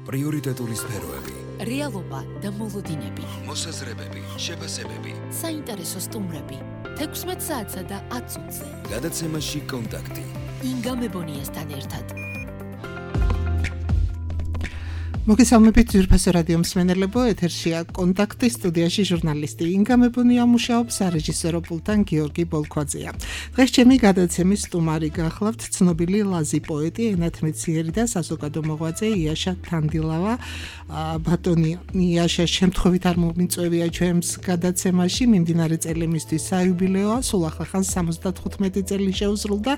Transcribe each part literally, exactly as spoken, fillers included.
პრიორიტეტული სფეროები, რეალობა და მოლოდინები, მოსაზრებები, შეფასებები, საინტერესო სტუმრები, თექვსმეტ საათსა და ათ წუთზე. გადაცემაში კონტაქტი. ინგა მებონიასთან ერთად. მოგესალმებით ძვირფასო რადიო მსმენელებო, ეთერშია კონტაქტი, სტუდიაში ჟურნალისტი ინგა მებონია მუშაობს, სარეჟისორო პულტთან გიორგი ბოლქვაძეა. დღეს ჩემი გადაცემის სტუმარი გახლავთ ცნობილი ლაზი პოეტი, ენათმეციერი და საზოგადო მოღვაწე იაშა თანდილავა. ბატონი იაშა შემთხვევით არ მომიწვევია ჩვენს გადაცემაში, მიმდინარე წელი მისთვის საიუბილეოა, სულ ახლახან სამოცდათხუთმეტი წელი შეუსრულდა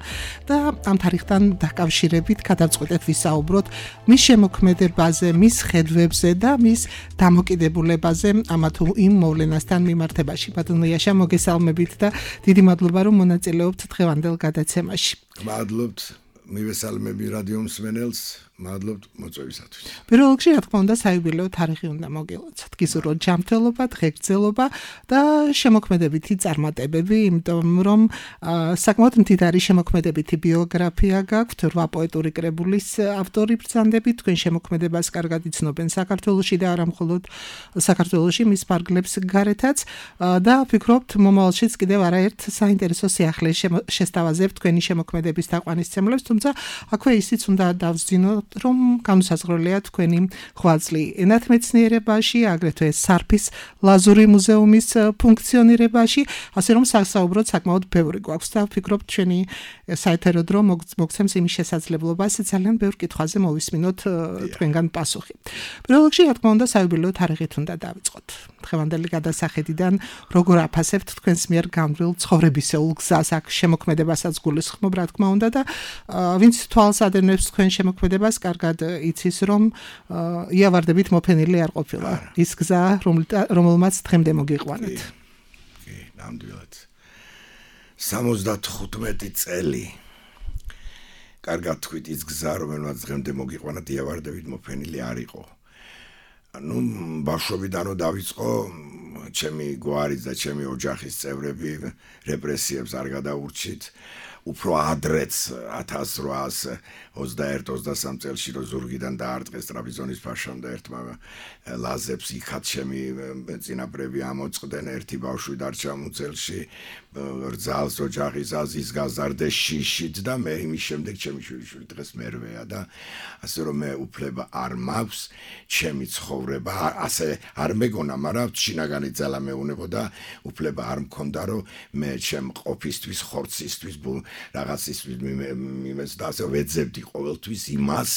და ამ თარიღთან დაკავშირებით გადავწყვეტეთ ვისაუბროთ მის შემოქმედებაზე, მის ხედვებზე და მის დამოკიდებულებაზე ამა თუ იმ მოვლენასთან მიმართებაში. ბატონო იაშა, მოგესალმებით და დიდი მადლობა რომ მონაწილეობთ დღევანდელ გადაცემაში. მადლობთ, მივესალმები რადიო მსმენელს, მადლობთ მოწვევისათვის. პირველ რიგში, რა თქმა უნდა, საიუბილეო თარიღი უნდა მოგილოცოთ. გისურვოთ ჯანმრთელობა, ღირსება და შემოქმედებითი წარმატებები, იმიტომ რომ საკმაოდ მდიდარი შემოქმედებითი ბიოგრაფია გაქვთ. რვა პოეტური კრებულის ავტორი ბრძანდებით, თქვენ შემოქმედებას კარგად იცნობენ საქართველოში და არა მხოლოდ საქართველოში, მის ფარგლებს გარეთაც და ვფიქრობთ, მომავალშიც კიდევ არაერთ საინტერესო სიახლეს შესთავაზებთ თქვენი შემოქმედების თაყვანისმცემლებს, თუმცა აქვე ისიც უნდა დავსძინოთ, რომ განუსაზღვრელია თქვენი ღვაწლი ენათმეცნიერებაში, აგრეთვე სარფის ლაზური მუზეუმის ფუნქციონირებაში, ასე რომ საუბროთ საკმაოდ ბევრი გვაქვს და ვფიქრობ ჩვენი საეთერო დრო მოგცემს იმის შესაძლებლობას ძალიან ბევრ კითხვაზე მოვისმინოთ თქვენგან პასუხი. პირველ რიგში, რა თქმა უნდა, საიუბილეო თარიღით უნდა დავიწყოთ. დღევანდელი გადასახედიდან როგორ აფასებთ თქვენს მიერ განვლილ ცხოვრებისეულ გზას, აქ შემოქმედებასაც გულისხმობ, რა თქმა უნდა და ვინც თვალს ადევნებს თქვენ შემოქმედებას, კარგად იცის, რომ იავარდებით მოფენილი არ ყოფილა ის გზა, რომელმაც დღემდე მოგიყვანეთ. კი, ნამდვილად. სამოცდათხუთმეტი წელი. კარგად თქვით, ის გზა, რომელმაც დღემდე მოგიყვანათ, იავარდებით მოფენილი არ იყო. ნუ ბავშვობიდან რო დავიწყო, ჩემი გვარის და ჩემი ოჯახის წევრები რეპრესიებს არ გადაურჩით. უფრო ადრეც ათას რვაასი ოცდაერთი ოცდასამი წელში რო ზურგიდან დაარტყეს ტრაპიზონის ფაშამ და ერთმა ლაზებს იქაც ჩემი წინაპრები ამოწყდნენ, ერთი ბავშვი დარჩა მუცელში, რძალს ოჯახის აზის გაზარდეს შიშით და მე იმის შემდეგ ჩემი შვილიშვილი დღეს მერვეა და ასე რომ მე უფლება არ მაქვს ჩემი ცხოვრება ასე არ მეგონა, მაგრამ შინაგანი ძალა მეუნებოდა, უფლება არ მქონდა რომ მე ჩემ ყოფისთვის, ხორცისთვის რაღაცისთვის მიმეც და ასე ვეძებდი ყოველთვის იმას,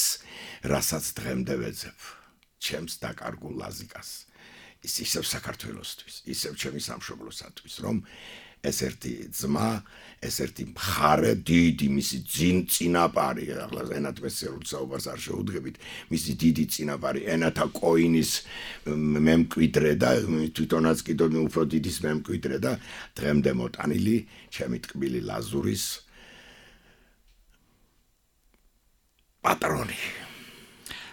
რასაც დღემდე ვეძებ. ჩემს დაკარგულ ლაზიკას. ის ისევ საქართველოსთვის, ისევ ჩემი სამშობლოსათვის, რომ ეს ერთი ძმა, ეს ერთი მხარე, დიდი მისი წინაპარი, ახლა ენათმეცნიერულ საუბარს არ შეუდგებით, მისი დიდი წინაპარი, ენათა კოინის მემკვიდრე და თვითონაც კიდევ უფრო დიდის მემკვიდრე და დღემდე მოტანილი ჩემი ტკბილი ლაზურის პატრონი.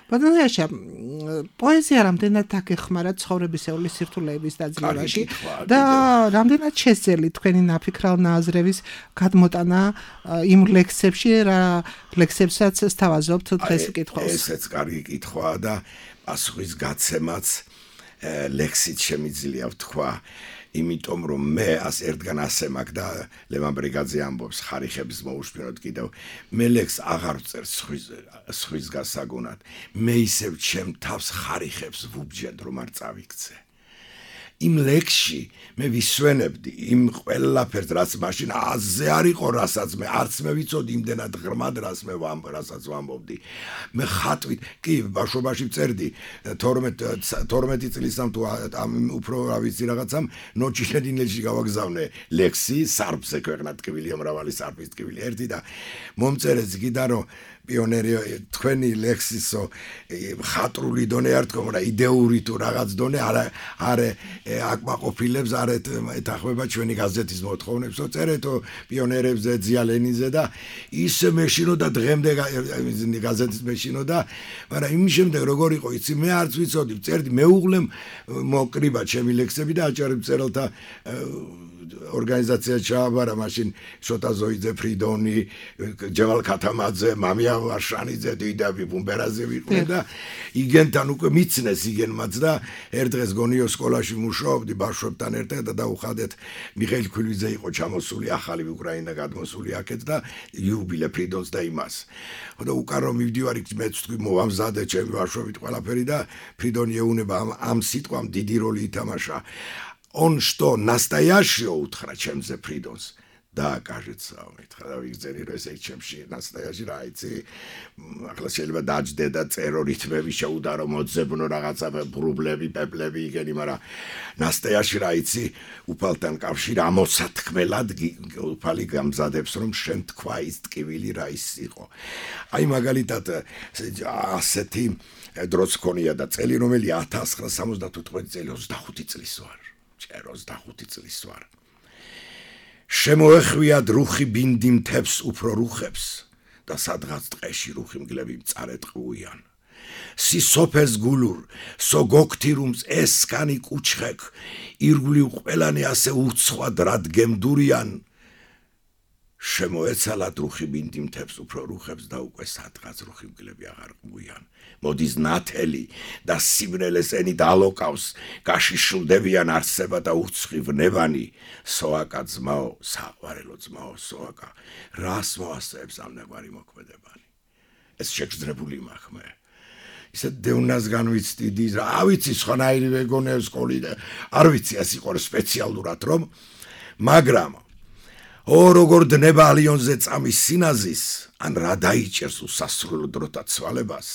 ბატონო იაშა, პოეზია რამდენად აგეხმარა ცხოვრებისეული სირთულეების დაძლევაში და რამდენად შესძელი თქვენი ნაფიქრალ ნაზრების გადმოტანა იმ ლექსებში, რა ლექსებსაც სთავაზობთ დღეს კითხვას? ესეც კარგი კითხვაა და პასუხის გაცემაც ლექსით შემიძლია ვთქვა. იმიტომ რომ მე ას ერთგან ასე მაგ და ლევან ბრიგაძე ამბობს ხარიხების მოუშფინოთ კიდევ მე ლექს აღარ ვწერს სხვის გასაგონად მე ისევ ჩემ თავს ხარიხებს ვუბჯენ რომ არ წავიქცე იმ ლექსში მე ვისვენებდი იმ ყველაფერს რაც მაშინ აზე არ იყო რასაც მე არც მე ვიცოდი იმდენად ღრმად რას მე ვამ რასაც ვამბობდი მე ხატვით კი ბავშვობაში ვწერდი თორმეტი წლისამ თუ უფრო რა ვიცი რაღაცამ ნოჩილებინელში გავაგზავნე ლექსი სარფზე ქვეყნად ტკბილი მრავალი სარფის ტკბილი ერთი და მომწერეც გიდა რომ პიონერი თქვენი ლექსისო ხატრული დონე არ თქო, მაგრამ იდეური თუ რაღაც დონე არა არა აკმაყოფილებს არ ეთახმება ჩვენი გაზეთის მოთხოვნებსო წერეთო პიონერებზე ძიალენიზე და ის მეშინოდა დღემდე გაზეთის მეშინოდა მაგრამ იმის შემდეგ როგორ იყო იცი მე არც ვიცოდი წერდი მეუღლემ მოკრიბა ჩემი ლექსები და აჭარი მწერალთა ორგანიზაცია ჩააბარა მაშინ შოტა ზოიძე ფრიდონი ჯევალ ქათამაძე მამია ვარშანიძე დიდაბი ბუმბერაზე ვიყვნენ და იგენთან უკვე მიცნეს იგენმაც და ერთ დღეს გონიო სკოლაში მუშაობდი ბავშვებთან ერთად და დაუხადეთ მიხეილ ქვილიძე იყო ჩამოსული ახალი უკრაინა გადმოსული აქეთ და იუბილე ფრიდონს და იმას და უკარო მივდივარი მეც თქვი მოვამზადე ჩემი ბავშვებით ყველაფერი და ფრიდონი ეუნება ამ სიტყვამ დიდი როლი ითამაშა Он что, настоящее утро, чем за Фридонс? Да, кажется, он это вигзери ресек чемши настоящий райци. ახლა შეიძლება დაждდე და წერო რითმები შეუდარო მოძებნო რაღაცა პრობლემები, პეპლები იგენი, მაგრამ настоящий რაიცი უფალთან კავშირი ამოსათქმელად უფალი გამზადებს რომ შენ თქვა ის ტკივილი რა ის იყო. აი მაგალითად ასეთი დროც ქონია და წელი რომელი ათას ცხრაასა სამოცდათოთხმეტი წელი ოცდახუთი წლის ვარ. ჩერ ოცდახუთი წლის ვარ. შემოეხვიათ რუხი ბინდი მთებს უფრო რუხებს და სადღაც ტყეში რუხი მგლები მწარეთყუიან. სისოფეს გულურ სოგოქთირუმს ესკანი კუჩხეკ ირგვლივ ყველანი ასე უცხად რადგემდურიან. შემოეცალათ რუხი ბინდი მთებს უფრო რუხებს და უკვე სადღაც რუხი მგლები აღარ ყუიან. მოდის ნათელი და სიბნელეს ენით ალოკავს გაშიშვლდებიან არსება და უცხივნებანი სოაკა ძმაო საყვარელო ძმაო სოაკა რას მოასწრებს ამ ნაგვარი მოქმედებანი ეს შეგრძნებული მახმე ისე დევნასგან ვიცდიდი რა ავიცი სხვანაირი ვეგონებს სკოლი და არ ვიცი ეს იყო სპეციალურად რომ მაგრამ ო როგორ დნება ალიონზე წამის სინაზის ან რა დაიჭერს უსასრულო დროთა ცვალებას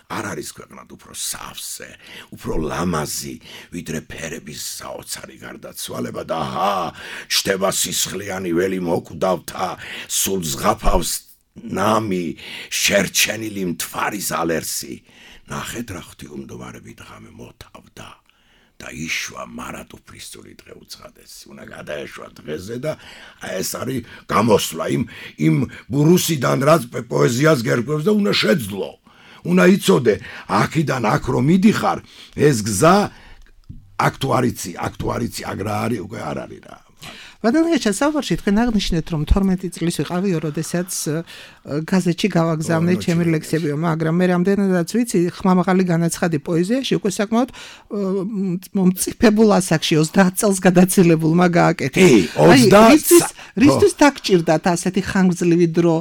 არ არის ქვეყნად უფრო სავსე, უფრო ლამაზი, ვიდრე ფერების საოცარი გარდაცვალება და ჰა, შთება სისხლიანი ველი მოკვდავთა, სულ ზღაფავს ნამი, შერჩენილი მთვარის ალერსი. ნახეთ რა ღვთიუმდოვარები დღამე მოთავდა და იშვა მარატუფლისწული დღე უცხადესი. უნდა გადაეშვა დღეზე და ეს არის გამოსვლა იმ იმ რუსიდან რაც პოეზიას გერკვევს და უნდა შეძლო. უნდა იცოდე აქიდან აქ რომ მიდიხარ ეს გზა აქტუარიცი აქტუარიცი აგრა არის უკვე არ არის რა ბატონო საუბარში თქვენ აღნიშნეთ რომ თორმეტი წლის ვიყავიო როდესაც გაზეთში გავაგზავნე ჩემი ლექსებიო მაგრამ მე რამდენადაც ვიცი ხმამაღალი განაცხადი პოეზიაში უკვე საკმაოდ მომწიფებულ ასაკში ოცდაათ წელს გადაცილებულმა გააკეთა ოცდაათ რისთვის დაგჭირდათ ასეთი ხანგრძლივი დრო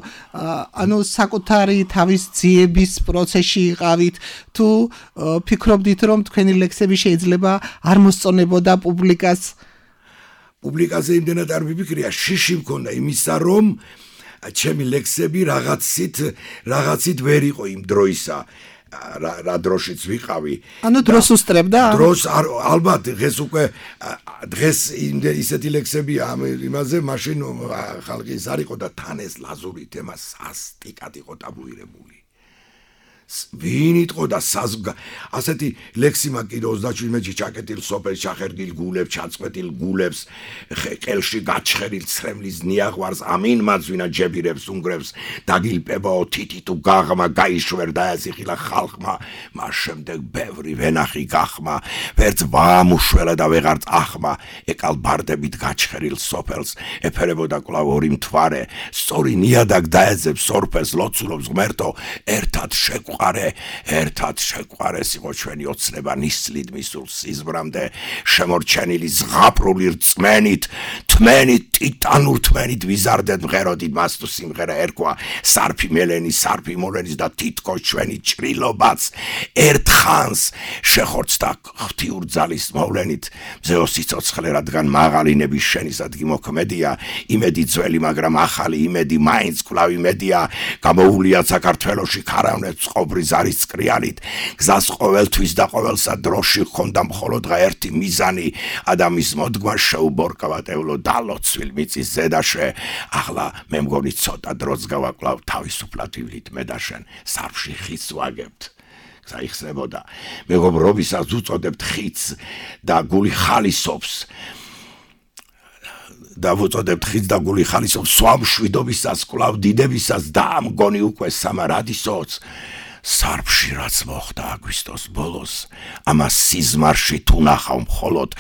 ანუ საკუთარი თავის ძიების პროცესში იყავით თუ ფიქრობდით რომ თქვენი ლექსები შეიძლება არ მოსწონებოდა პუბლიკას პუბლიკაზე იმდენად არ მიფიქრია შიში მქონდა იმისა რომ ჩემი ლექსები რაღაცით რაღაცით ვერ იყო იმ დროისა რა დროშიც ვიყავი ანუ დროს უსწრებდა დროს ალბათ დღეს უკვე დღეს ისეთი ლექსები ამ იმაზე მაშინ ხალხი ის არ იყო და თან ეს ლაზური თემა სასტიკად იყო ტაბუირებული ვინ იტყო და ასეთი ლექსი მაგ კიდე ოცდაშვიდ მეტრში ჩაკეტილ სოფელს ჩახერგილ გულებს ჩაწყვეტილ გულებს ყელში გაჩხერილ ცრემლის ნიაღვარს ამინმაც ვინა ჯებირებს უნგრებს დაგილპებაო თითი თუ გაღმა გაიშვერ და ეზიხილა ხალხმა მას შემდეგ ბევრი ვენახი გახმა ვერც ვამუშველა და ვეღარ წახმა ეკალ ბარდებით გაჩხერილ სოფელს ეფერებოდა კვლავ ორი მთვარე სწორი ნიადაგ დაეძებს სორფეს ლოცულობს ღმერთო ერთად შეგვ ყარე ერთად შეყვარეს იყო ჩვენი ოცნება ნისლით მისულ სიზმრამდე შემორჩენილი ზღაპრული რწმენით თმენით ტიტანურ თმენით ვიზარდეთ მღეროდით მას თუ სიმღერა ერქვა სარფი მელენი სარფი მოლენის და თითქოს ჩვენი ჭრილობაც ერთხანს შეხორცდა ღვთიურ ძალის მოვლენით მზეო სიცოცხლე რადგან მაღალინების შენისადგი მოქმედია იმედი ძველი მაგრამ ახალი იმედი მაინც კვლავ იმედია გამოუვლიათ საქართველოში ქარავნებს ობრის არის წკრიალით გზას ყოველთვის და ყოველსა დროში ხონდა მხოლოდ ერთი მიზანი ადამიანის მოდგმა შეუბორკავატევლო დალოცვილ მიწის ზედაშე ახლა მე მგონი ცოტა დროც გავაკლავ თავისუფლად ვილით მე და შენ სარფში ხის ვაგებთ საიხსნებოდა მეგობრობისაც უწოდებთ ხიდს და გული ხალისობს და უწოდებთ ხიდს და გული ხალისობს სვამშვიდობისას კვლავ დიდებისას და მგონი უკვე სამარადისოც სარფში რაც მოხდა აგვისტოს ბოლოს ამას სიზმარში თუ ნახავ მხოლოდ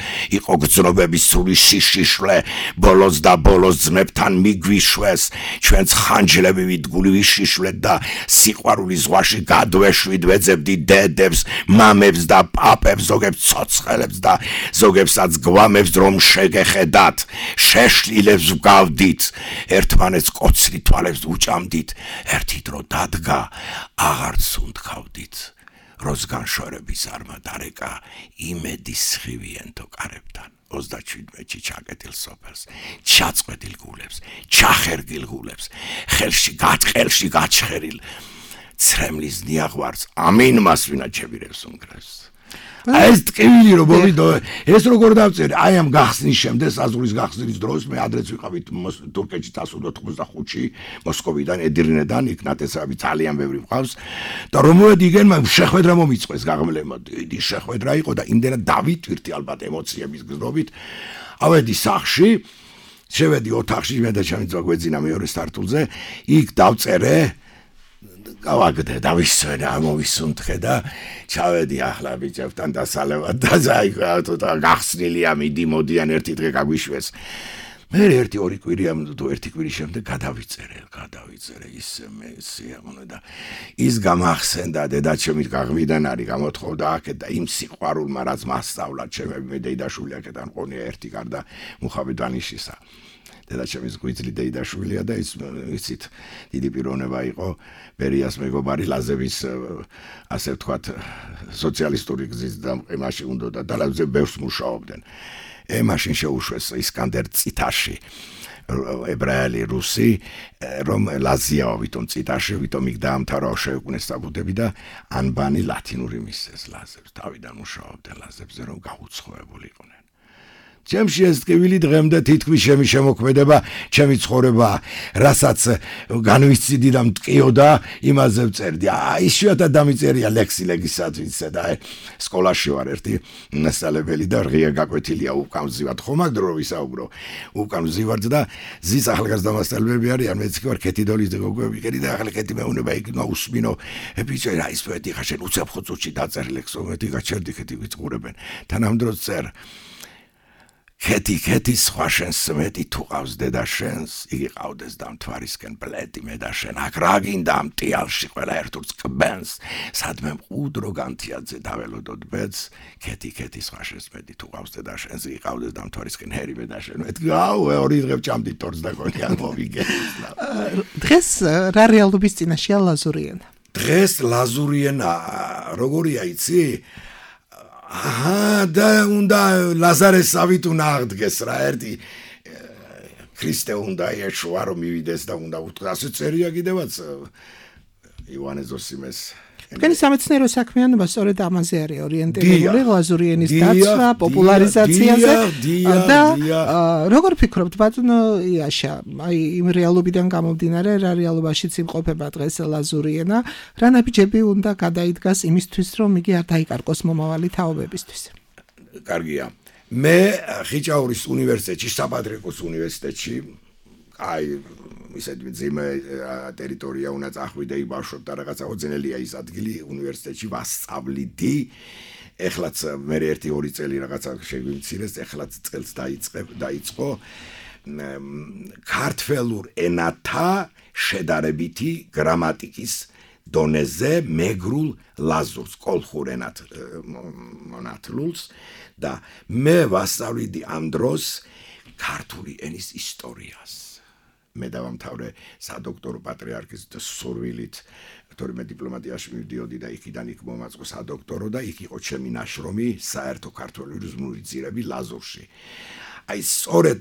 იყო გრძნობების სული შიშიშვლე ბოლოს და ბოლოს ძმებთან მიგვიშვეს ჩვენც ხანჯლები ვიდგული ვიშიშვლეთ და სიყვარული ზღვაში გადვეშვით ვეძებდით დედებს მამებს და პაპებს ზოგებს ცოცხლებს და ზოგებსაც გვამებს რომ შეგეხედათ შეშლილებს ვგავდით ერთმანეთს კოცრი თვალებს უჭამდით ერთი დრო დადგა აღარც უნდქავდით როზგან შორების არმა დარეკა იმედის სხივიენთო კარებთან ოცდაშვიდმეტში ჩაკეტილ სოფელს ჩაწყვეტილ გულებს ჩახერგილ გულებს ხელში გაჭხელში გაჩხერილ ცრემლის ნიაღვარს ამინმას ვინაჩებირებს უნგრევს ეს ტკივილი რომ მოვიდო ეს როგორ დავწერე აი ამ გახსნის შემდეგ საზღვრის გახსნის დროს მე ადრეც ვიყავით თურქეთში წასულდა თხმოცდახუთში მოსკოვიდან ედირნედან იქ ნათესავი ძალიან ბევრი მყავს და რომ მოვედი იგენ მაგ შეხვედრა მომიწყვეს გაღმლება დიდი შეხვედრა იყო და იმდენად დავითვირთი ალბათ ემოციების გზნობით ავედი სახში შევედი ოთახში მე და ჩემი ძმა გვეძინა მეორე სართულზე იქ დავწერე გავაგდე და ვისვენა მოვისუნთხე და ჩავედი ახლა ბიჭებთან დასალევად და ზაიგა გახსნილია მიდი მოდიან ერთი დღე გაგვიშვეს მე ერთი ორი კვირია თუ ერთი კვირის შემდეგ გადავიწერე გადავიწერე ისე მე სიამოვნე და ის გამახსენდა დედაჩემით გაღვიდან არის გამოთხოვდა აქეთ და იმ სიყვარულმა რაც მასწავლა ჩემები მე დეიდაშვილი აქედან ყონია ერთი გარდა მუხაბი დანიშისა დედაჩემის გვიძლი დეიდაშვილია და ის იცით დიდი პიროვნება იყო ბერიას მეგობარი ლაზების ასე ვთქვათ სოციალისტური გზის დამყარებაში უნდა და ლაზები ბევრს მუშაობდნენ ე მაშინ შეუშვეს ისკანდერ ციტაში ებრაელი რუსი რომ ლაზიაო ვითომ ციტაში ვითომ იქ დაამთავრა შეუქმნეს საბუდები და ანბანი ლათინური მისეს ლაზებს თავიდან მუშაობდნენ ლაზებზე რომ გაუცხოებულიყვნენ ჩემში ეს ტკივილი დღემდე თითქმის ჩემი შემოქმედება, ჩემი ცხოვრება, რასაც განვიცდი და მტკიოდა, იმაზე ვწერდი. აი, იშვიათად დამიწერია ლექსი ლეგისათვის და სკოლაში ვარ ერთი მასწავლებელი და ღია გაკვეთილია უკან ვზივართ ხომ აქ დრო ვისაუბრო. უკან ვზივართ და ზის ახალგაზრდა მასწავლებელები არიან, მეც კი ვარ ქეთიდოლის გოგოები, კერი და ახლა ქეთი მეუნება იქ ნაუსმინო. ბიჭო, რა ის პოეტი ხაშენ უცებ ხუცუჩი დაწერილ ლექსო, მეტი გაჩერდი ქეთი ვიწყურებენ. თანამდროც წერ ქეთი ქეთი სხვა შენს მეტი თუ ყავს დედა შენს იგი ყავდეს დამთვარისკენ ბლედი მე და შენ აქ რა გინდა მტიალში ყველა ერთურს კბენს სადმე მყუდრო განთიაძე დაველოდოთ ბედს ქეთი ქეთი სხვა შენს მეტი თუ ყავს დედა შენს იგი ყავდეს დამთვარისკენ ჰერი მე და შენ მეთქი აუ ორი დღე ვჭამდით თორს და გონია მოვიგენა დღეს რა რეალობის წინაშეა ლაზურიენა დღეს ლაზურიენა როგორია იცი აჰა და უნდა ლაზარესავით უნდა აღდგეს რა ერთი ქრისტე უნდა ეშვა რომ მივიდეს და უნდა უთხრას წერია კიდევაც ივანე ზოსიმეს თქვენი სამეცნიერო საქმიანობა სწორედ ამაზე არის ორიენტირებული ლაზურიენის დაცვა, პოპულარიზაციაზე და როგორ ფიქრობთ ბატონო იაშა, აი იმ რეალობიდან გამომდინარე, რა რეალობაშიც იმყოფება დღეს ლაზურიენა, რა ნაბიჯები უნდა გადაიდგას იმისთვის, რომ იგი არ დაიკარგოს მომავალი თაობებისთვის? კარგია. მე ხიჭაურის უნივერსიტეტში, საპატრიარქოს უნივერსიტეტში აი ისეთ ძიმე ტერიტორია უნდა წახვიდე იბავშვებდა რაღაცა ოძენელია ის ადგილი უნივერსიტეტში ვასწავლიდი ეხლაც მე ერთი ორი წელი რაღაცა შეგვიმცირეს ეხლაც წელს დაიწყებ დაიწყო ქართველურ ენათა შედარებითი გრამატიკის დონეზე მეგრულ ლაზურს კოლხურ ენათ მონათლულს და მე ვასწავლიდი ამ დროს ქართული ენის ისტორიას მე დავამთავრე სადოქტორო პატრიარქის სურვილით, თორემე დიპლომატიაში მივდიოდი და იქიდან იქ მომაწყო სადოქტორო და იქ იყო ჩემი ნაშრომი საერთო ქართული რიზმული ძირები ლაზურში. აი სწორედ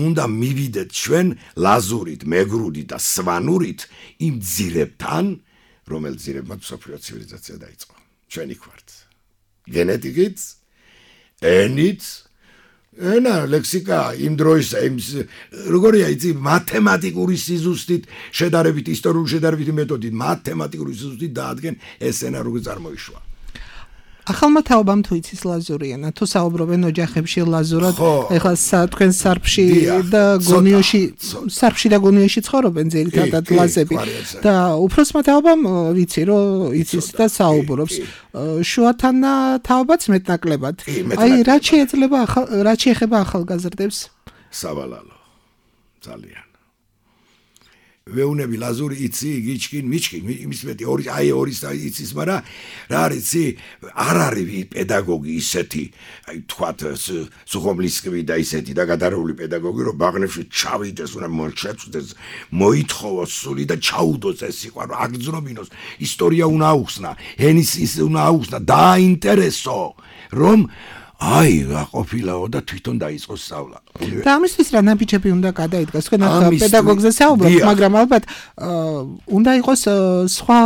უნდა მივიდეთ ჩვენ ლაზურით, მეგრუდით და სვანურით იმ ძირებთან, რომელ ძირებმა მსოფლიო ცივილიზაცია დაიწყო. ჩვენ იქ ვართ. გენეტიკით, ენით ენა ლექსიკა იმ დროის იმ როგორია იცი მათემატიკური სიზუსტით შედარებით ისტორიული შედარებითი მეთოდით მათემატიკური სიზუსტით დაადგენ ეს ენა როგორ წარმოიშვა ახალმა თაობამ თუ იცის ლაზური ენა, თუ საუბრობენ ოჯახებში ლაზურად, ეხლა თქვენ სარფში და გონიოში, სარფში და გონიოში ცხოვრობენ ძირითადად ლაზები და უფროსმა თაობამ ვიცი რომ იცის და საუბრობს. შუათან თაობაც მეტნაკლებად. აი რა შეეძლება რა შეეხება ახალგაზრდებს? სავალალო. ძალიან. ვეუნები ლაზური იცი, გიჩკინ, მიჩკინ, იმის მეტი ორი აი ორი იცის, მაგრამ რა არის იცი, არ არის პედაგოგი ისეთი, აი თქვათ სუხომლისკი და ისეთი და გადარეული პედაგოგი, რომ ბაღნებში ჩავიდეს, უნდა მოჩეწდეს, მოითხოვოს სული და ჩაუდოს ეს სიყვარული, აგრძნობინოს, ისტორია უნდა აუხსნა, ენის ის უნდა აუხსნა, დააინტერესო, რომ აი, ყოფილაო და თვითონ დაიწყო სწავლა. და ამისთვის რა ნაბიჯები უნდა გადაიდგას? თქვენ ახლა პედაგოგზე საუბრობთ, მაგრამ ალბათ უნდა იყოს სხვა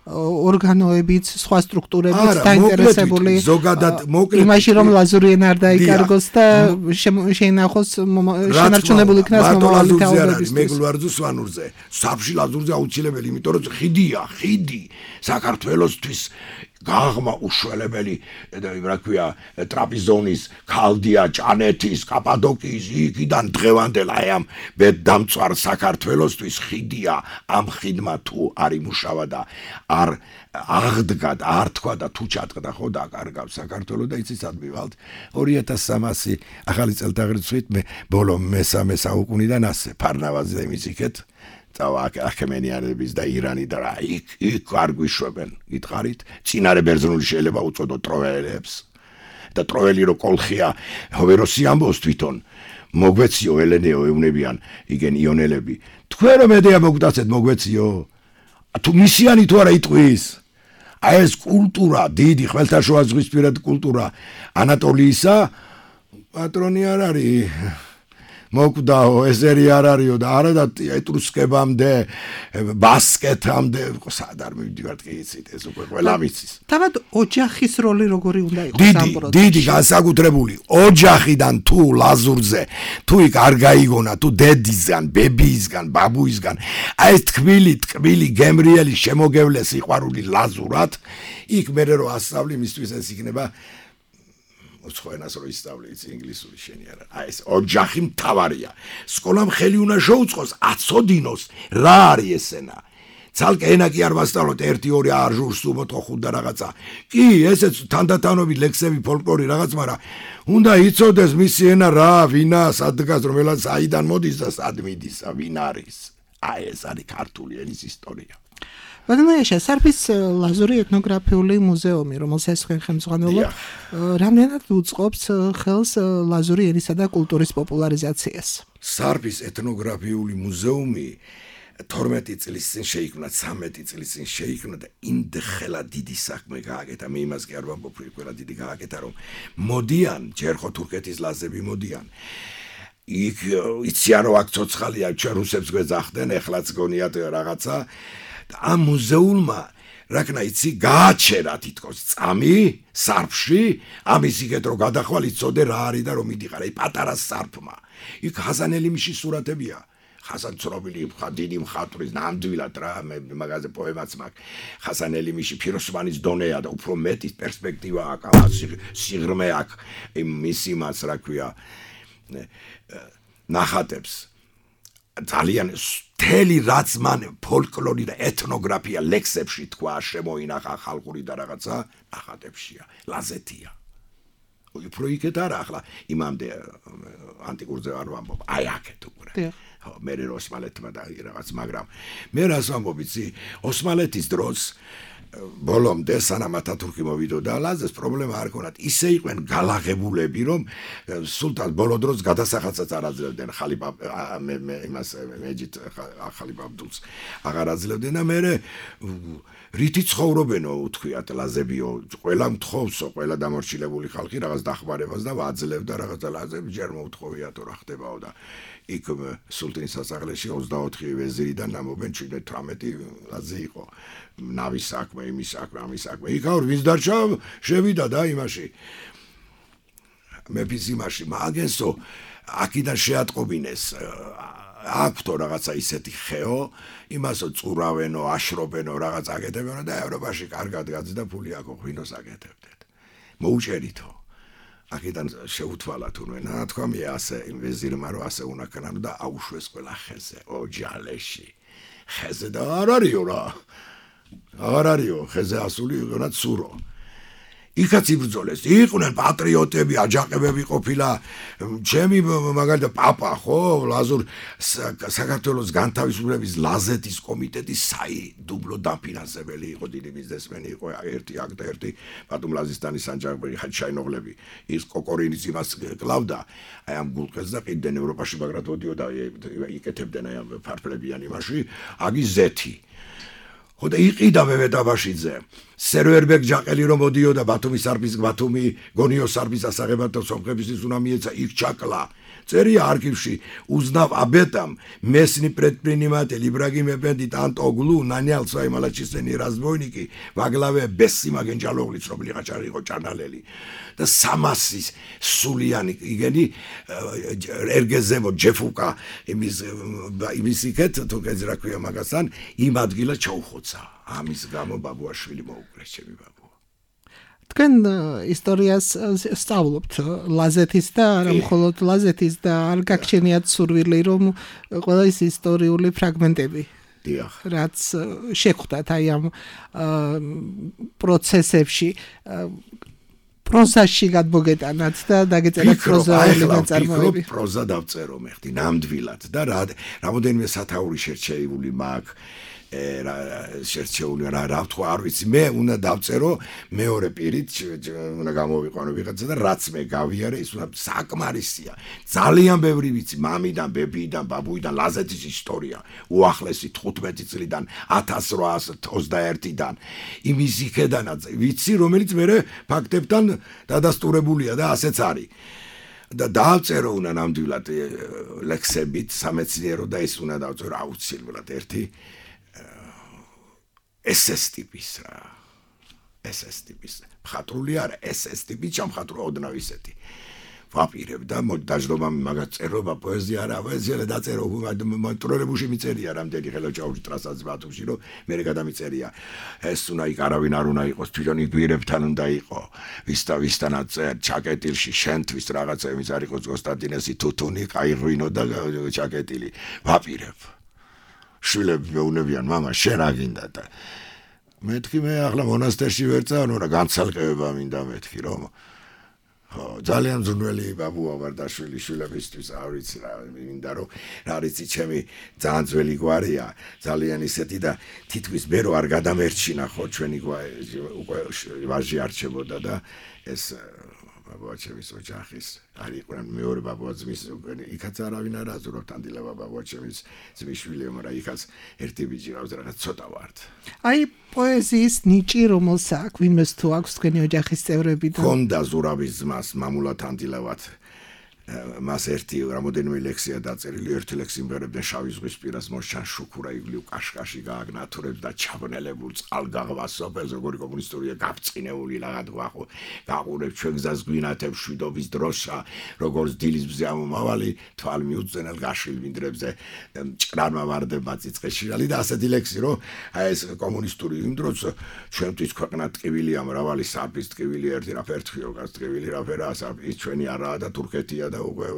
ორგანოებიც, სხვა სტრუქტურებიც დაინტერესებული. ზოგადად მოკლედ იმაში რომ ლაზური ენა არ დაიკარგოს და შეინახოს შენარჩუნებული იქნას მომავალი თაობებისთვის. მეგლვარძო სვანურზე, საფში ლაზურზე აუცილებელი, იმიტომ რომ ხიდია, ხიდი საქართველოსთვის გაღმა უშველებელი და რა ქვია ტრაპიზონის, ქალდია, ჭანეთის, კაპადოკიის იქიდან დღევანდელ აი ამ ბედდამწვარ საქართველოსთვის ხიდია ამ ხიდმა თუ არ იმუშავა და არ აღდგა და არ თქვა და თუ ჩატყდა ხო დაკარგავს საქართველოს და იცის ადმივალთ ორი ათას სამასი ახალი წელთაღრიცხვით მე ბოლო მესამე საუკუნიდან ასე ფარნავაზზე მისიქეთ წავა ახემენიანების და ირანი და რა იქ იქ არ გვიშვებენ გითხარით წინარე ბერძნული შეიძლება უწოდო ტროველებს და ტროველი რო კოლხია ჰოვეროსი ამბობს თვითონ მოგვეციო ელენეო ეუნებიან igen იონელები თქვენ რომ ედეა მოგდაცეთ მოგვეციო თუ მისიანი თუ არა იტყვის აი ეს კულტურა დიდი ხმელთაშუა ზღვისპირა კულტურა ანატოლიისა პატრონი არ არის მოკვდაო ეზერი არ არისო და არა და ეტრუსკებამდე ბასკეთამდე სად არ მივდივართ კი იცით ეს უკვე ყველა ვიცის თავად ოჯახის როლი როგორი უნდა იყოს ამ პროცესში დიდი განსაკუთრებული ოჯახიდან თუ ლაზურზე თუ იქ არ გაიგონა თუ დედისგან ბებიისგან ბაბუისგან აი ეს თქმილი ტკბილი გემრიელი შემოგევლე სიყვარული ლაზურად იქ მე რო ასწავლი მისთვის ეს იქნება უცხოენას რო ისწავლე იცი ინგლისური შენი არა აი ეს ოჯახი მთავარია სკოლამ ხელი უნდა შეუწყოს აცოდინოს რა არის ესენა ცალკე ენა კი არ ვასწავლოთ ერთი ორი არ ჟურს უმოთხო ხუდა რაღაცა კი ესეც თანდათანობით ლექსები ფოლკლორი რაღაც მაგრამ უნდა იცოდეს მისი ენა რა ვინა სადღაც რომელაც აიდან მოდის და სად მიდის ვინ არის აი ეს არის ქართული ენის ისტორია ბატონოიაშა სარფის ლაზური ეთნოგრაფიული მუზეუმი რომელსაც თქვენ ხელმძღვანელობთ რამდენად უწყობს ხელს ლაზური ენისა და კულტურის პოპულარიზაციას სარფის ეთნოგრაფიული მუზეუმი თორმეტი წლის წინ შეიქმნა ცამეტი წლის წინ შეიქმნა და იმდხელა დიდი საქმე გააკეთა მე იმას კი არ ვამბობ ყველა დიდი გააკეთა რომ მოდიან ჯერ ხო თურქეთის ლაზები მოდიან იქ იციან რომ აქ ცოცხალია ჩვენ რუსებს გვეძახდნენ ეხლაც გონიათ რაღაცა ამ მუზეუმმა რაკნა იცი გააჩერა თითქოს წამი სარფში ამის იქეთ რომ გადახვალ იცოდე რა არის და რომ მიდიყარ აი პატარა სარფმა იქ ხაზანელიმში სურათებია ხაზან ცნობილი დიდი მხატვრის ნამდვილად რა მე მაგაზე პოემაც მაქვს ხაზანელიმში ფიროსმანის დონეა და უფრო მეტი პერსპექტივა აქვს სიღრმე აქვს მისი მას რა ქვია ნახატებს ძალიან თელი რაც მან ფოლკლორი და ეთნოგრაფია ლექსებში თქვა შემოინახა ხალხური და რაღაცა ნახატებშია ლაზეთია უფრო იქეთ არა ახლა იმამდე ანტიკურზე არ ვამბობ აი აქეთ უკვე ხო მე ოსმალეთმა და რაღაც მაგრამ მე რას ვამბობ იცი ოსმალეთის დროს ბოლომდე სანამ ათათურქი მოვიდოდა ლაზეს პრობლემა არ ქონათ ისე იყვნენ გალაღებულები რომ სულთან ბოლო დროს გადასახადსაც არ აძლევდნენ ხალიფა მე იმას მეჯით ხალიფა აბდულს აღარ აძლევდნენ და მე რითი ცხოვრობენო უთქვიათ ლაზებიო ყველა მთხოვსო ყველა დამორჩილებული ხალხი რაღაც დახმარებას და ვაძლევდა რაღაც ლაზები ჯერ მოუთხოვიათო რა ხდებაო და იქ სულთნის სასახლეში ოცდაოთხი ვეზირიდან ნამობენ შვიდმეტ თვრამეტი ლაზი იყო ნავის საქმე იმის საქმე ამის საქმე იქ არ ვინც დარჩა შევიდა და იმაში მეფის იმაში მაგენსო აქიდან შეატყობინეს აქვთო რაღაცა ისეთი ხეო იმასო წურავენო აშრობენო რაღაც აკეთებენო და ევროპაში კარგად გაძდა ფული აქ ღვინოს აკეთებდეთ მოუჭერითო აქედან შეუთვალა თუნდაც თქვა მე ასე იმ ვეზირმა რომ ასე უნდა ქნანო და აუშვეს ყველა ხეზე ოჯალეში ხეზე და არ არისო რა არ არისო ხეზე ასული იყვნათ სურო იქაც იბრძოლეს იყვნენ პატრიოტები აჯანყებები ყოფილა ჩემი მაგალითად პაპა ხო ლაზურ საქართველოს განთავისუფლების ლაზეთის კომიტეტის საი დუბლო დაფინანსებელი იყო დიდი ბიზნესმენი იყო ერთი აქ და ერთი ბატონ ლაზისტანის სანჯაყი ხაჩაინოღლები ის კოკორინის იმას კლავდა აი ამ გულყეს და ყიდნენ ევროპაში მაგრად ოდიოდა იკეთებდნენ აი ამ ფარფლებიან იმაში აგი ზეთი ხოდა იყიდა მემეტაბაშიძე სერვერბეგ ჯაყელი რომ მოდიოდა ბათუმის არბის ბათუმი გონიოს არბის ასაღებად და სომხებისთვის უნდა მიეცა იქ ჩაკლა წერია არქივში უзнав об этом местный предприниматель Ибрагим Эфенди Антоглу нанял свои малочисленные разбойники во главе Бессима Генджалоглы цробли қачარი იყო ჭანალელი და სამასის სულიანი იგენი ერგეზემო ჯეფუკა იმის იმის იქეთ თუკეც რა ქვია მაგასთან იმ ადგილას ჩაუხოცა ამის გამო ბაბუაშვილი მოუკრეს ჩემი ბაბუა თქვენ ისტორიას სწავლობთ ლაზეთის და არა მხოლოდ ლაზეთის და არ გაგჩენიათ სურვილი რომ ყველა ის ისტორიული ფრაგმენტები დიახ რაც შეხვდათ აი ამ პროცესებში პროზაში გადმოგეტანათ და დაგეწერათ პროზაული ნაწარმოები პროზა დავწერო მე ხდი ნამდვილად და რა რამოდენიმე სათაური შერჩეული მაქვს შერჩეული რა რა თქვა არ ვიცი მე უნდა დავწერო მეორე პირით უნდა გამოვიყვანო ვიღაცა და რაც მე გავიარე ის უნდა საკმარისია ძალიან ბევრი ვიცი მამიდან ბებიდან ბაბუიდან ლაზეთის ისტორია უახლესი თხუთმეტი წლიდან ათას რვაასი ოცდაერთიდან იმის იქედანაც ვიცი რომელიც მე ფაქტებთან დადასტურებულია და ასეც არის და დავწერო უნდა ნამდვილად ლექსებით სამეცნიერო და ის უნდა დავწერო აუცილებლად ერთი ეს ეს ტიპის რა ეს ეს ტიპის მხატვრული არა ეს ეს ტიპი ჩამხატვრა ოდნავ ისეთი ვაპირებ და დაждობა მაგას წერობა პოეზია არა პოეზია დაწერო მოტროლებუში მიწერია რამდენი ხელოჩაური ტრასაც ბათუმში რომ მე გადამიწერია ეს უნდა იქ არავინ არ უნდა იყოს თვითონ იგვირებთან უნდა იყო ვისთა ვისთანაც ჩაკეტილში შენთვის რაღაცა იმის არ იყოს კონსტანტინესი თუთუნი ყაიღვინო და ჩაკეტილი ვაპირებ შვილები მეუნებიან მამა შენ აგინდა და მეთქი მე ახლა მონასტერში ვერ წავ რა განცალკევება მინდა მეთქი რომ ხო ძალიან ძნელი ბაბუა ვარ და შვილი შვილებისთვის არ ვიცი რა მინდა რომ რა ვიცი ჩემი ძალიან ძველი გვარია ძალიან ისეთი და თითქოს მე რო არ გადამერჩინა ხო ჩვენი უკვე ვაჟი არჩებოდა და ეს ბაბუა ჩემის ოჯახის არ იყვნენ მეორე ბაბუა ძმის იქაც არავინ არ აზურავთ ანდილება ბაბუა ჩემის ძმისშვილი მაგრამ იქაც ერთი ბიჭი ყავს რაღაც ცოტა ვართ აი პოეზიის ნიჭი რომელსაც ვინმეს თუ აქვს თქვენი ოჯახის წევრებიდან ხონდა ზურავის ძმას მამულად ანდილევად მას ერთი რამოდენიმე ლექსია დაწერილი ერთი ლექსი მღერებდნენ შავი ზღვის პირას მოსჩან შუქურა იგლიუ კაშკაში გააგნათურებს და ჩაბნელებულ წყალგაღბას სოფელს როგორი კომუნისტურია გაფწინეული რაღაც ვახო გაყურებს ჩვენ გზას გვინათებს შვიდობის დროშა როგორც დილის მზე ამომავალი თვალ მიუძენელ გაშილ მინდრებზე ჭრანმა ვარდება წიწყეშირალი და ასეთი ლექსი რომ აი ეს კომუნისტური იმ დროს ჩვენთვის ქვეყნა ტკივილია მრავალი საფის ტკივილი ერთი რა ფერთხიო გას ტკივილი რა ფერაა საფის ჩვენი არაა და თურქეთია და უკვე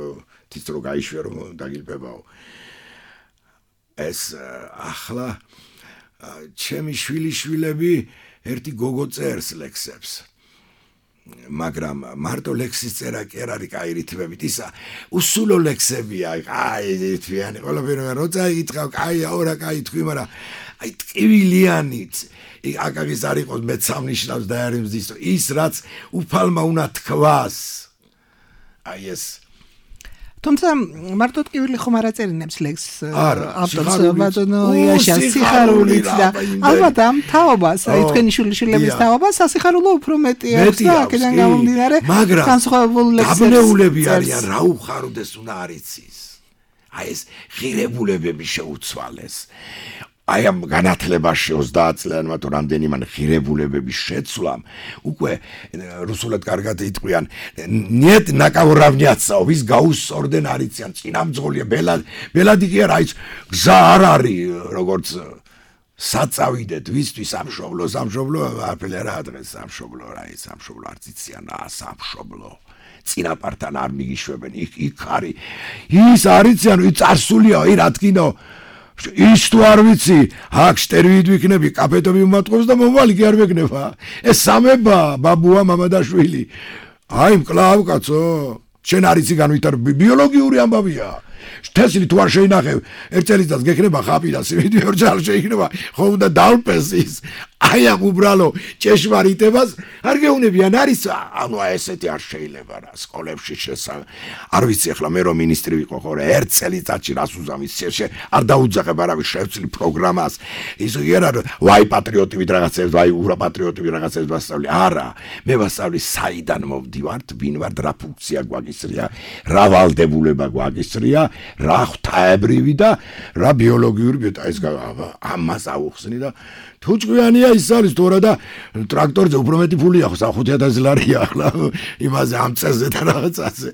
თითრო გაიშვია რომ დაგილბებაო ეს ახლა ჩემი შვილიშვილები ერთი გოგო წერს ლექსებს მაგრამ მარტო ლექსის წერა კი არ არის კაი რითმებით ისა უსულო ლექსებია კაი რითმიანი ყველაფერი როცა ითქავ კაი აურა კაი თქვი მაგრამ აი ტკივილიანით აკაგის არ იყოს მეცამნიშნავს და არ იმზის ის რაც უფალმა უნდა თქვას აი ეს თუმცა მარტო ტკივილი ხომ არ აწერინებს ლექს ავტორს ბატონო იაშა სიხარულით და ალბათ ამ თაობას აი თქვენი შვილიშვილების თაობას სასიხარულო უფრო მეტი აქვს და აქედან გამომდინარე განსხვავებული ლექსები დაბნეულები არიან რა უხაროდეს უნდა არიცის აი ეს ღირებულებები შეუცვალეს აი ამ განათლებაში ოცდაათ წლიანმა თუ რამდენიმე ღირებულებების შეცვლამ უკვე რუსულად კარგად იტყვიან нет наковоравняться ვის გაუსწორდნენ არიციან წინამძღოლია ბელად ბელადი კი არა ის გზა არ არის როგორც საწავიდეთ ვისთვის სამშობლო სამშობლო არაფერი არ ადრეს სამშობლო რა ის სამშობლო არ ციციანა სამშობლო წინაპართან არ მიგიშვებენ იქ იქ არის ის არიციან ის წარსულია ი რა თქინო ის თუ არ ვიცი აქ შტერვით ვიქნები კაფედო მიმატყობს და მომვალი კი არ ვეკნება ეს სამება ბაბუა მამადაშვილი აი მკლავ კაცო შენ არიცი განვითარ ბიოლოგიური ამბავია თესლი თუ არ შეინახე ერთ წელიწადს გექნება ხაპი და სიმინდი ორ წელს შეიქნება ხო უნდა დალპეს ის აი ამ უბრალო ჭეშმარიტებას არ გეუნებიან არის ანუ ესეთი არ შეიძლება რა სკოლებში შესა არ ვიცი ახლა მე რომ მინისტრი ვიყო ხო რა ერთ წელიწადში რას უზამის შეშე არ დაუძახებ არავის შევცვლი პროგრამას ის არა ვაი პატრიოტივით რაღაცებს ვაი ურა პატრიოტივით რაღაცებს ვასწავლი არა მე ვასწავლი საიდან მოვდივართ ვინ ვარ რა ფუნქცია გვაგისრია რა ვალდებულება გვაგისრია რა ღვთაებრივი და რა ბიოლოგიური ბიოტა ეს ამას აუხსნი და თუ ჭკვიანია ის არის თორა და ტრაქტორზე უფრო მეტი ფულია ხო ხუთი ათასი ლარია ახლა იმაზე ამ წელზე და რაღაცაზე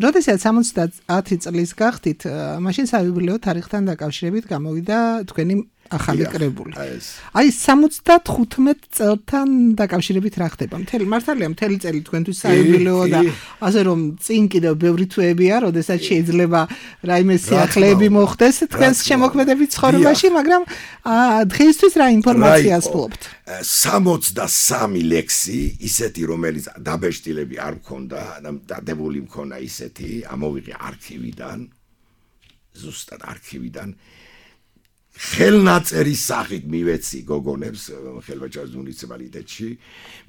როდესაც სამოცდაათი წლის გახდით მაშინ საიუბილეო თარიღთან დაკავშირებით გამოვიდა თქვენი ახალი კრებული. აი სამოცდათხუთმეტ წელთან დაკავშირებით რა ხდება? მთელი მართალია მთელი წელი თქვენთვის საიუბილეო და ასე რომ წინ კიდევ ბევრი თვეებია, როდესაც შეიძლება რაიმე სიახლეები მოხდეს თქვენს შემოქმედებით ცხოვრებაში, მაგრამ დღეისთვის რა ინფორმაციას ფლობთ? სამოცდასამი ლექსი, ისეთი რომელიც დაბეჭდილები არ მქონდა, დადებული მქონა ისეთი, ამოვიღე არქივიდან, ზუსტად არქივიდან ხელნაწერის სახით მივეცი გოგონებს ხელვაჭარის მუნიციპალიტეტში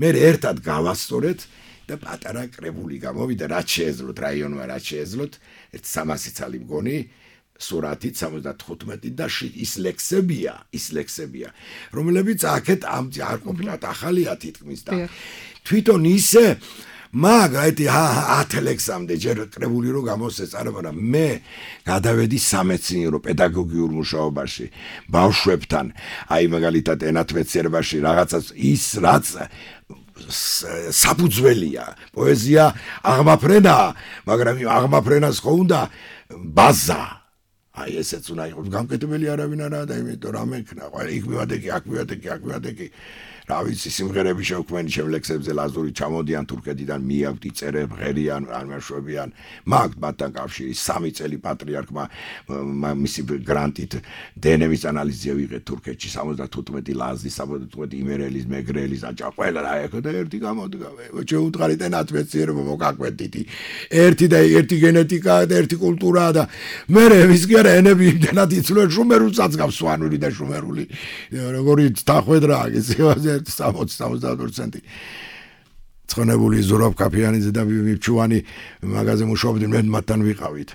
მე ერთად გავასწორეთ და პატარა კრებული გამოვიდა რაც შეეძლოთ რაიონმა რაც შეეძლოთ ერთ სამასი ცალი მგონი სურათით სამოცდათხუთმეტი და ის ლექსებია ის ლექსებია რომლებიც აქეთ ამ არ ყოფილათ ახალია თითქმის და თვითონ ისე მაგათი ათ ლექსამდე ჯერ კრებული რო გამოსცეს არა მაგრამ მე გადავედი სამეცნიერო პედაგოგიურ მუშაობაში ბავშვებთან აი მაგალითად ენათმეცნიერებაში რაღაცას ის რაც საფუძველია პოეზია აღმაფრენა მაგრამ აღმაფრენას ხო უნდა ბაზა აი ესეც უნდა იყოს გამკეთებელი არავინ არა და იმიტომ რა მექნა ყველა იქ მივადექი აქ მივადექი აქ მივადექი რა ვიცი სიმღერები შევქმენი შემლექსებზე ლაზური ჩამოდიან თურქეთიდან მიაგვდი წერებ ღერიან არ მეშვებიან მაგ მათთან კავშირი სამი წელი პატრიარქმა მისი გრანტით დნმ-ის ანალიზზე ვიღეთ თურქეთში სამოცდათხუთმეტი ლაზი სამოცდათხუთმეტი იმერელის მეგრელის აჭა ყველა რა ეხო და ერთი გამოდგა შეუდგარით ენათმეცნიერება მოგაკვეთითი ერთი და ერთი გენეტიკა და ერთი კულტურა და მე ვის კი არა ენები იმდენად იცვლენ შუმერულსაც გავს სვანური და შუმერული როგორი დახვედრა ის სამოცდა სამოცდაათ პროცენტი ცხონებული ზურაბ კაფიანიძე და მიფჩუანი მაგაზე მუშაობდნენ მე მათთან ვიყავით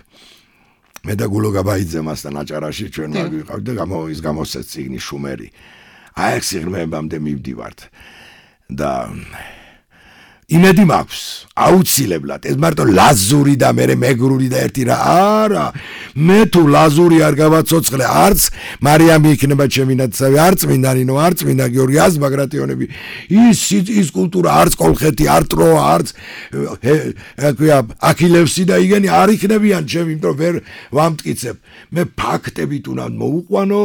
მე და გულო გაბაიძე მასთან აჭარაში ჩვენ მაგ ვიყავით და გამო ის გამოსცეს წიგნი შუმერი აი ეს სიღრმეებამდე მივდივართ და იმედი მაქვს აუცილებლად ეს მარტო ლაზური და მე მეგრული და ერთი რა არა მე თუ ლაზური არ გავაცოცხლე არც მარიამი იქნება ჩემი ნაცავი არც მინდანინო არც მინდა გიორგი აზბაგრატიონები ის ის კულტურა არც კოლხეთი არ ტროა არც აკია აქილევსი და იგენი არ იქნებიან ჩემი იმიტომ ვერ ვამტკიცებ მე ფაქტებით უნდა მოუყვანო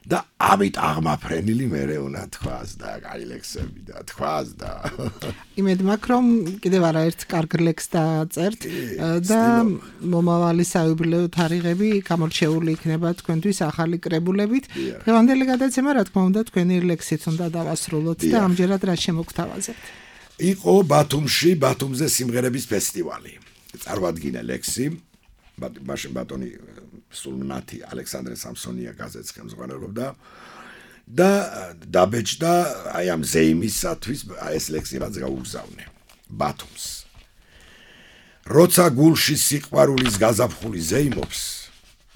და ამით აღმაფრენილი მერე უნდა თქვას და კაი ლექსები და თქვას და იმედ მაქვს რომ კიდევ არაერთ კარგ ლექსს დაწერთ და მომავალი საიუბილეო თარიღები გამორჩეული იქნება თქვენთვის ახალი კრებულებით დღევანდელი გადაცემა რა თქმა უნდა თქვენი ლექსით უნდა დავასრულოთ და ამჯერად რა შემოგთავაზებთ იყო ბათუმში ბათუმზე სიმღერების ფესტივალი წარმოადგინა ლექსი მაშინ ბატონი სულმნათი ალექსანდრე სამსონია გაზეთს ხელმძღვანელობდა და დაბეჭდა აი ამ ზეიმისათვის ეს ლექსი რაც გაუგზავნე ბათუმს როცა გულში სიყვარულის გაზაფხული ზეიმობს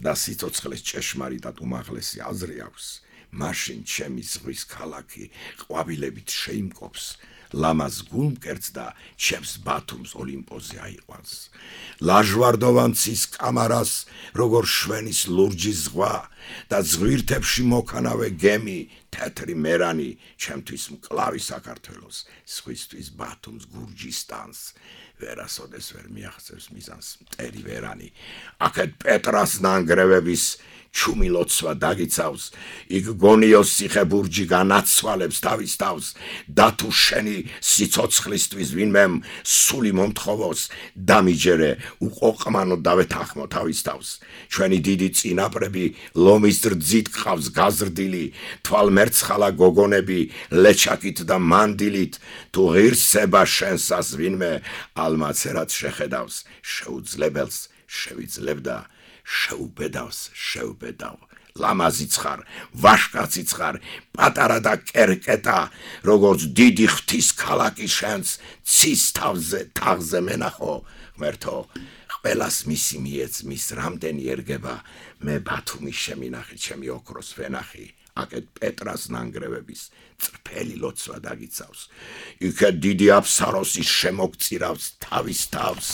და სიცოცხლეს ჭეშმარიტად უმაღლესი აზრი აქვს მაშინ ჩემი ზღვის ქალაქი ყვავილებით შეიმკობს ლამაზ გულმკერდს და ჩემს ბათუმს ოლიმპოზე აიყვანს ლაჟვარდოვან ცის კამარას როგორ შვენის ლურჯი ზღვა და ზღვირთებში მოქანავე გემი, თეთრი მერანი, ჩემთვის მკლავი საქართველოს, სხვისთვის ბათუმს, გურჯისტანს. ვერასოდეს ვერ მიაღწევს მიზანს მტერი ვერანი. აქეთ პეტრას ნანგრევების ჩუმი ლოცვა დაგიცავს, იქ გონიოს ციხე-ბურჯი განაცვალებს თავის თავს, და თუ შენი სიცოცხლისთვის ვინმემ სული მომთხოვოს, დამიჯერე უყოყმანო დავეთანხმო თავის თავს. ჩვენი დიდი წინაპრები ლომის რძით ყავს გაზრდილი, თვალმერცხალა გოგონები ლეჩაკით და მანდილით, თუ ღირსება შენსას ვინმე ალმაცერად შეხედავს, შეუძლებელს შევიძლებდა შეუბედავს, შეუბედავ. ლამაზიც ხარ, ვაშკაციც ხარ, პატარა და კერკეტა, როგორც დიდი ღვთის ქალაქი შენს, ცის თავზე, თაღზე მენახო, ღმერთო, ყველას მისი მიეც, მის რამდენი ერგება, მე ბათუმის შემინახი, ჩემი ოქროს ვენახი, აქეთ პეტრას ნანგრევების წრფელი ლოცვა დაგიცავს, იქეთ დიდი აფსაროსის შემოგწირავს თავის თავს.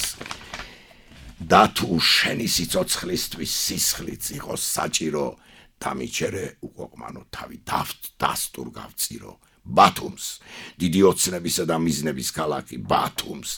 და თუ შენი სიცოცხლისთვის სისხლიც იყოს საჭირო, დამიჯერე უყოყმანო თავი დასტურ გავწირო. ბათუმს, დიდი ოცნებისა და მიზნების ქალაქი, ბათუმს,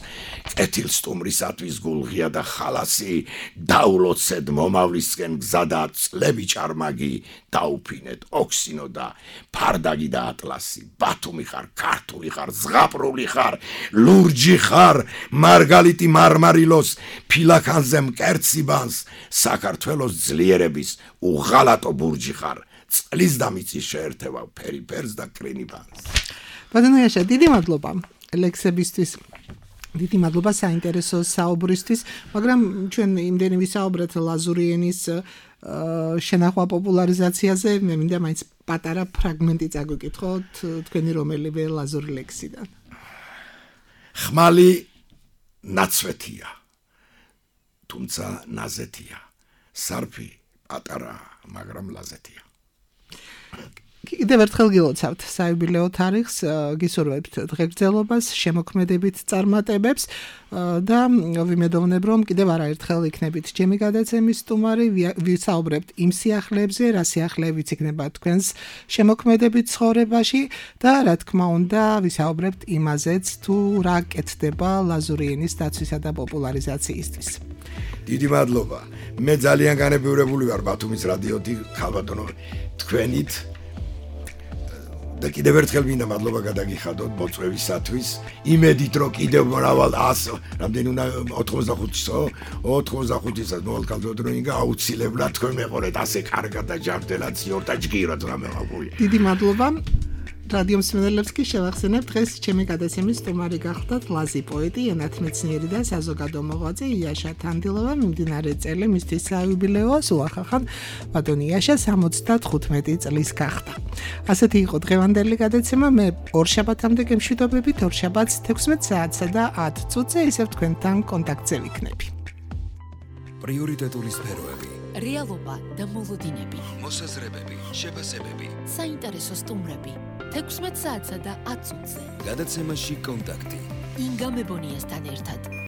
კეთილსტუმრისათვის გულღია და ხალასი, დაულოცეთ მომავლისკენ გზა და წლები ჭარმაგი, დაუფინეთ ოქსინო და ფარდაგი და ატლასი. ბათუმი ხარ, ქართული ხარ, ზღაპრული ხარ, ლურჯი ხარ, მარგალიტი მარმარილოს, ფილაქანზე მკერცი ბანს, საქართველოს ძლიერების უღალატო ბურჯი ხარ. წყლის და მიწის შეერთება ფერიფერს და კრინიბანს. ბატონო იაშა, დიდი მადლობა ლექსებისთვის. დიდი მადლობა საინტერესო საუბრისთვის, მაგრამ ჩვენ იმდენი ვისაუბრეთ ლაზური ენის შენახვა პოპულარიზაციაზე, მე მინდა მაინც პატარა ფრაგმენტი წაგვიკითხოთ თქვენი რომელიმე ლაზური ლექსიდან. ხმალი ნაცვეთია, თუმცა ნაზეთია. სარფი პატარა, მაგრამ ლაზეთია. კიდევ ერთხელ გილოცავთ საიუბილეო თარიღს, გისურვებთ დღეგრძელობას, შემოქმედებით წარმატებებს და ვიმედოვნებ, რომ კიდევ არაერთხელ იქნებით ჩემი გადაცემის სტუმარი, ვისაუბრებთ იმ სიახლეებზე, რა სიახლეებიც იქნება თქვენს შემოქმედებით ცხოვრებაში და რა თქმა უნდა, ვისაუბრებთ იმაზეც, თუ რა კეთდება ლაზური ენის დაცვისა და პოპულარიზაციისთვის. დიდი მადლობა. მე ძალიან განებივრებული ვარ ბათუმის რადიოთი ხალბატონო თქვენით და კიდევ ერთხელ მინდა მადლობა გადაგიხადოთ მოწვევისათვის. იმედით რომ კიდევ მრავალ ას რამდენი უნდა ოთხმოცდახუთისო ოთხმოცდახუთისაც მოვალკალდოთ რომ ინგა აუცილებლად თქვენ მეყოლეთ ასე კარგად და ჯანმრთელად ციორ და ჯგირად რა მეღებული. დიდი მადლობა. რადიო მსმენელებს კი შევახსენებ, დღეს ჩემი გადაცემის სტუმარი გახლდათ ლაზი პოეტი, ენათმეცნიერი და საზოგადო მოღვაწე იაშა თანდილოვა. მიმდინარე წელი მისთვის საიუბილეოა, სულ ახახან ბატონი იაშა სამოცდათხუთმეტი წლის გახდა. ასეთი იყო დღევანდელი გადაცემა. მე ორშაბათამდე გემშვიდობებით, ორშაბათს თექვსმეტ საათსა და ათ წუთზე ისევ თქვენთან კონტაქტზე ვიქნები. პრიორიტეტული სფეროები, რეალობა და მოლოდინები, მოსაზრებები, შეფასებები, საინტერესო სტუმრები, თექვსმეტ საათსა და ათ წუთზე. გადაცემაში კონტაქტი. ინგა მებონიასთან ერთად.